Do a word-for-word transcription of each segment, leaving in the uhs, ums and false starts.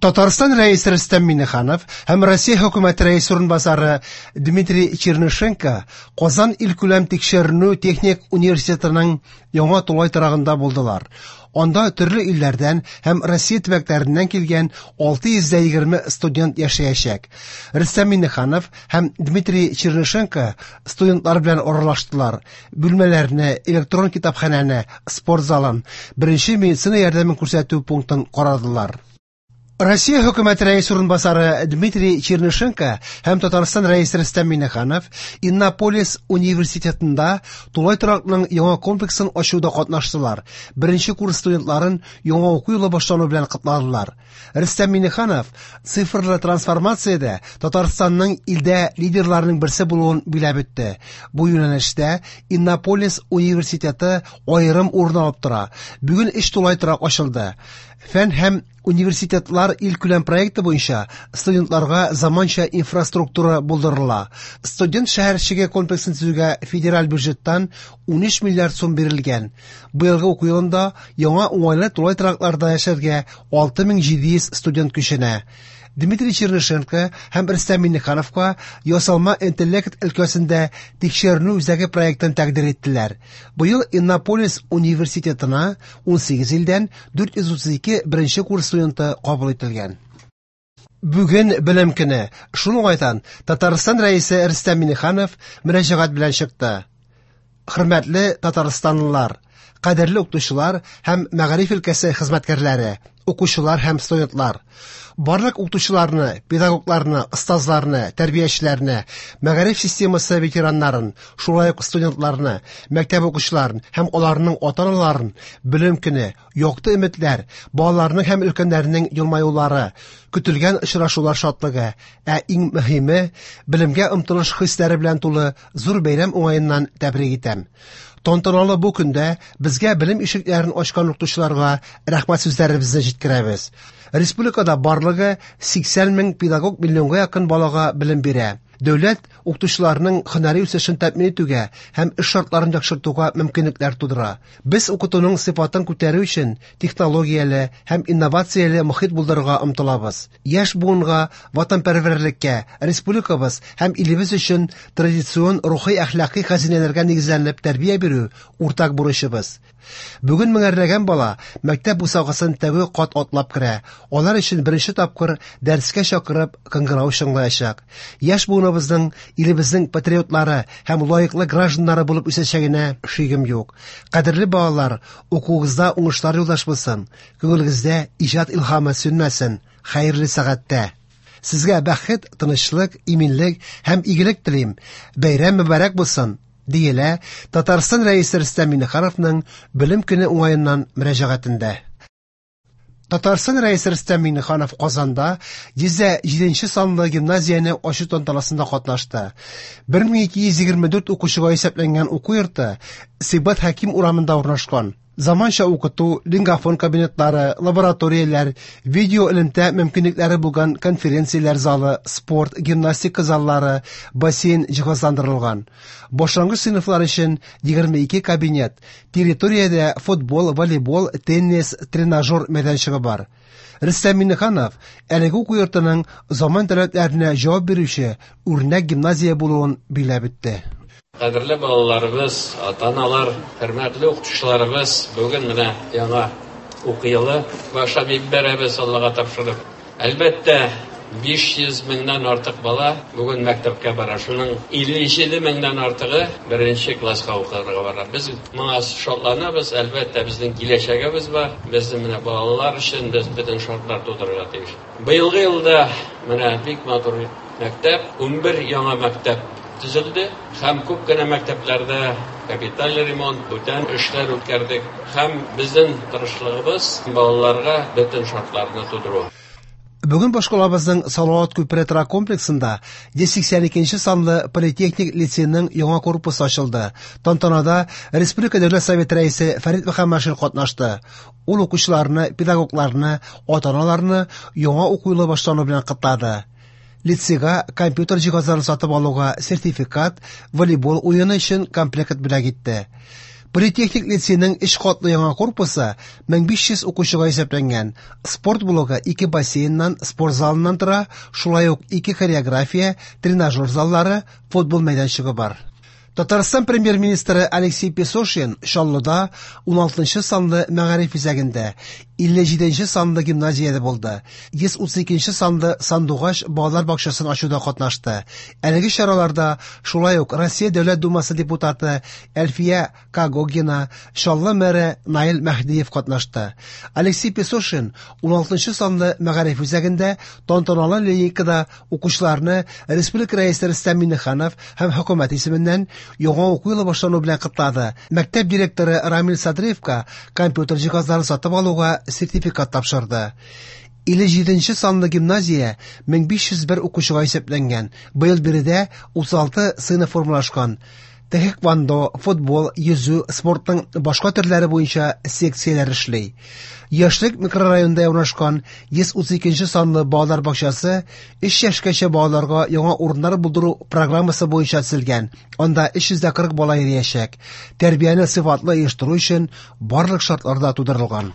Татарстан Рәисе Рөстәм Миңнеханов һәм Россия Хөкүмәте Рәисе урынбасары Дмитрий Чернышенко Казан илкүләм тикшеренү техник университетының яңа тулай торагында булдылар. Анда төрле илләрдән һәм Россия төбәкләреннән килгән алты йөз егерме студент яшәячәк. Рөстәм Миңнеханов һәм Дмитрий Чернышенко студентлар белән аралаштылар. Бүлмәләрне, электрон китапханәне, спорт залын, беренче медицина ярдәмен күрсәтү пунктын карадылар. Россия Хөкүмәте Рәисе урынбасары Дмитрий Чернышенко һәм Татарстан Рәисе Рөстәм Миңнеханов Иннополис университетында тулай торакның яңа комплексын ачуда катнаштылар. Беренче курс студентларын яңа уку елы башлану белән котладылар. Рөстәм Миңнеханов цифрлы трансформациядә Татарстанның илдә лидерларының берсе булуын биләп үтте. Бу юнәлештә Иннополис университеты аерым урын алып тора. Бүген өч тулай торак ачылды. Фән һәм университетлар илкүләм проекты буенча студентларга заманча инфраструктура булдырыла. Студент шәһәрчеге комплексын төзүгә федераль бюджеттан унөч миллиард сум бирелгән. Быелгы уку елында яңа уңайлы тулай торакларда яшәргә алты мең җиде йөз студент күченә. Дмитрий Чернышенко һәм Рөстәм Миңнехановка ясалма интеллект өлкәсендә тикшеренү үзәге проектын тәкъдир иттеләр. Быел Иннополис университетына унсигез илдән дүрт йөз утыз ике беренче курс студенты кабул ителгән. Бүген белем көне. Шул уңайдан Татарстан Рәисе Рөстәм Миңнеханов мөрәҗәгать белән чыкты. Хөрмәтле татарстанлылар, кадерле укытучылар һәм мәгариф өлкәсе хезмәткәрләре, укучылар һәм студентлар. Барлык укытучыларны, педагогларны, остазларны, тәрбиячеләрне, мәгариф системасы ветераннарын, шулай ук студентларны, мәктәп укучыларын һәм аларның ата-аналарын белем көне, якты өметләр, балаларның һәм өлкәннәрнең елмаюлары, көтелгән очрашулар шатлыгы, ә иң мөһиме белемгә омтылыш хисләре белән тулы зур бәйрәм уңаеннан тәбрик итәм. Тантаналы бу көндә безгә белем ишекләрен ачкан укытучыларга рәхмәт сүзләребезне җиткерәбез. Республикада барлыгы сиксән мең педагог миллионга якын балага белем бирә. Дәүләт укытучыларның һөнәри үсешен тәэмин итүгә һәм эш шартларын яхшыртуга мөмкинлекләр тудыра. Без укытуның сыйфатын күтәрү өчен технологияле һәм инновацияле мохит булдырырга омтылабыз. Яшь буынга ватанпәрвәрлеккә, республикабыз һәм илебез өчен традицион рухи әхлакый хәзинәләргә нигезләнеп тәрбия бирү уртак бурычыбыз. Бүген меңәрләгән бала мәктәп бусагасын тәүге кат атлап керә. Алар өчен беренче тапкыр дәрескә чакырып кыңгырау чыңлаячак. Яшь буыныбызның илебезнең патриотлары һәм лаеклы гражданнары булып үсәчәгенә шигем юк. Кадерле балалар, укуыгызда уңышлар юлдаш булсын, күңелегездә иҗат илһамы сүнмәсен. Хәерле сәгатьтә. Сезгә бәхет, тынычлык, иминлек һәм игелек телим. Бәйрәм мөбарәк булсын, диелә Татарстан Рәисе Рөстәм Миңнехановның белем көне уңаеннан мөрәҗәгатендә. Татарстан Рәисе Рөстәм Миңнеханов Казанда йөз җиденче санлы гимназияне ачу тантанасында катнашты. Бер мең ике йөз егерме дүрт укучыга исәпләнгән уку йорты Сибгат Хәким урамында урнашкан. Заманча укыту, лингафон кабинетлары, лабораторияләр, видео элемтә мөмкинлекләре булган конференцияләр залы, спорт, гимнастика заллары, бассейн җиһазландырылган. Башлангыч сыйныфлар өчен егерме ике кабинет, территориядә футбол, волейбол, теннис, тренажер мәйданчыгы бар. Рөстәм Миңнеханов әлеге уку йортының заман таләпләренә җавап бирүче үрнәк гимназия булуын биләп үтте. Кадерле балаларыбыз, ата-аналар, хөрмәтле укытучыларыбыз, бүген менә яңа уку елы башлап җибәрәбез, Аллага тапшырып. Әлбәттә, биш йөз меңнән артык бала бүген мәктәпкә бара. Шуның илле җиде меңнән артыгы беренче класска укырга бара. Без моңа шатланабыз, әлбәттә, безнең киләчәгебез бар. Безнең менә балалар өчен без бөтен шартлар тудырырга тиеш. Быелгы елда менә бик матур мәктәп, унбер яңа мәктәп төзелде һәм күп кенә мәктәпләрдә капиталь ремонт, бүтән эшләр үткәрдек. Һәм безнең тырышлыгыбыз балаларга бөтен шартларны тудыру. Бүген башкалабызның Салават күпере торак комплексында йөз сиксән икенче санлы политехник лицейның яңа корпусы ачылды. Тантанада Республика Дәүләт Советы рәисе Фәрит Мөхәммәтшин катнашты. Ул укучыларны, педагогларны, ата-аналарны яңа уку елы башлану белән котлады. Лицейга компьютер җиһазларын сатып алуга сертификат, волейбол уены өчен комплект бүләк итте. Политехник лицейның өч катлы яңа корпусы мең биш йөз укучыга исәпләнгән. Спорт блогы ике бассейннан, спорт залыннан тора, шулай ук ике хореография, тренажер заллары, футбол мәйданчыгы бар. Татарстан премьер-министры Алексей Песошин Чаллыда ун алтынчы санлы мәгариф үзәгендә, илле җиденче санлы гимназиядә булды. Йөз утыз икенче санлы Сандугач балалар бакчасын ачуда катнашты. Әлеге чараларда шулай ук Россия Дәүләт Думасы депутаты Әлфия Когогина, Чаллы мэры Наил Мәһдиев катнашты. Алексей Песошин ун алтынчы санлы мәгариф үзәгендә тантаналы линейкада укучыларны Республика Рәисе Рөстәм Миңнеханов һәм хөкүмәт исеменнән яңа уку елы башлану белән котлады. Мәктәп директоры Рамил Садриевка компьютер җиһазларын сатып алуга сертификат тапшырды. Илле җиденче санлы гимназия мең биш йөз бер укучыга исәпләнгән. Быел биредә утыз алты сыйныф формалашкан. Тхэквондо, футбол, йөзү, спортның башка төрләре буенча секцияләр эшли. Яшьлек микрорайонында урнашкан йөз утыз икенче санлы балалар бакчасы өч яшькәчә балаларга яңа урыннар булдыру программасы буенча төзелгән. Анда өч йөз дә кырык бала йөриячәк. Тәрбияне сыйфатлы оештыру өчен барлык шартлар да тудырылган.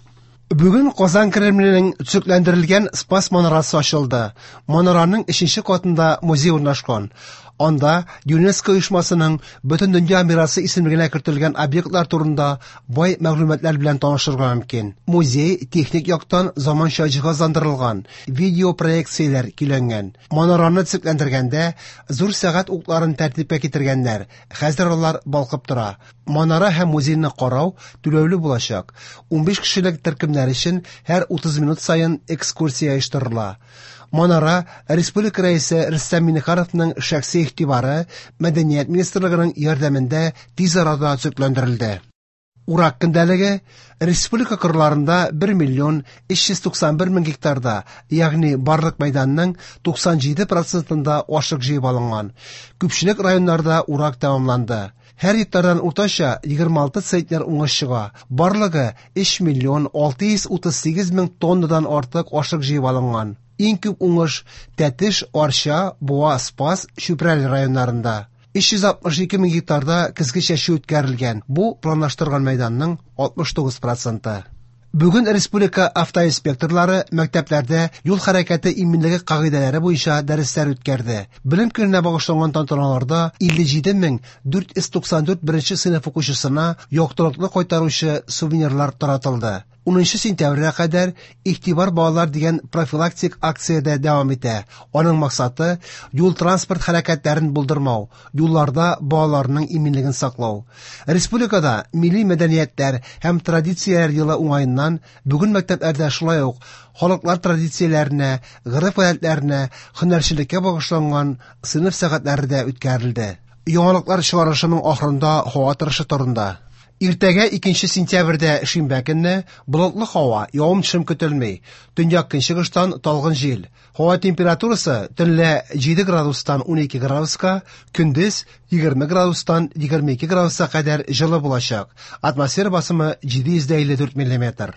Бүген Казан Кремленең төзекләндерелгән Спас манарасы ачылды. Манараның өченче катында музей урнашкан. Анда ЮНЕСКО оешмасының бөтен дөнья мирасы исемлегенә кертелгән объектлар турында бай мәгълүматлар белән танышырга мөмкин. Музей техник яктан заманча җиһазландырылган, видеопроекцияләр көйләнгән. Манараны төзекләндергәндә зур сәгать укларын тәртипкә китергәннәр. Хәзер алар балкып тора. Манара һәм музейны карау түләүле булачак. Унбиш кешелек төркемнәр өчен һәр утыз минут саен экскурсия оештырыла. Манара Республика Рәисе Рөстәм Миңнехановның шәхси игътибары, Мәдәният министрлыгының ярдәмендә тиз арада төзекләндерелде. Урак көндәлеге республика кырларында бер миллион өч йөз туксан бер мең гектарда, ягъни барлык мәйданның туксан җиде процентында ашык җыеп алынган. Күпчелек районнарда урак тәмамланды. Һәр гектардан уртача егерме алты центнер уңыш чыга. Барлыгы өч миллион алты йөз утыз сигез мең тоннадан артык ашык җыеп алынган. Иң күп уңыш Тәтеш, Арча, Буа, Спас, Чүпрәле районнарында. Өч йөз алтмыш ике мең гектарда көзге чәчү үткәрелгән. Бу планлаштырган мәйданның алтмыш тугыз проценты. Бүген республика автоинспекторлары мәктәпләрдә юл хәрәкәте иминлеге кагыйдәләре буенча дәресләр үткәрде. Белем көненә багышланган тантаналарда илле җиде мең дүрт йөз туксан дүрт беренче сыйныф укучысына яктылыкны кайтаручы сувенирлар таратылды. Унынчы сентябрьгә кадәр Игътибар балалар дигән профилактик акция дә дәвам итә. Аның максаты юл транспорт хәрәкәтләрен булдырмау, юлларда балаларның иминлеген саклау. Республикада милли мәдәниятләр һәм традицияләр елы уңаеннан бүген мәктәпләрдә шулай ук халыклар традицияләренә, гореф-гадәтләренә, һөнәрчелеккә багышланган сыйныф сәгатьләре дә үткәрелде. Яңалыклар чыгарышының ахырында һава торышы турында. Иртәгә икенче сентябрьдә шимбә көнне болытлы һава, явым-төшем көтелми. Төньяк көнчыгыштан талгын җил. Һава температурасы төнлә җиде градустан унике градуска, көндез егерме градустан егерме ике градуска кадәр җылы булачак. Атмосфера басымы җиде йөз дә илле дүрт миллиметр.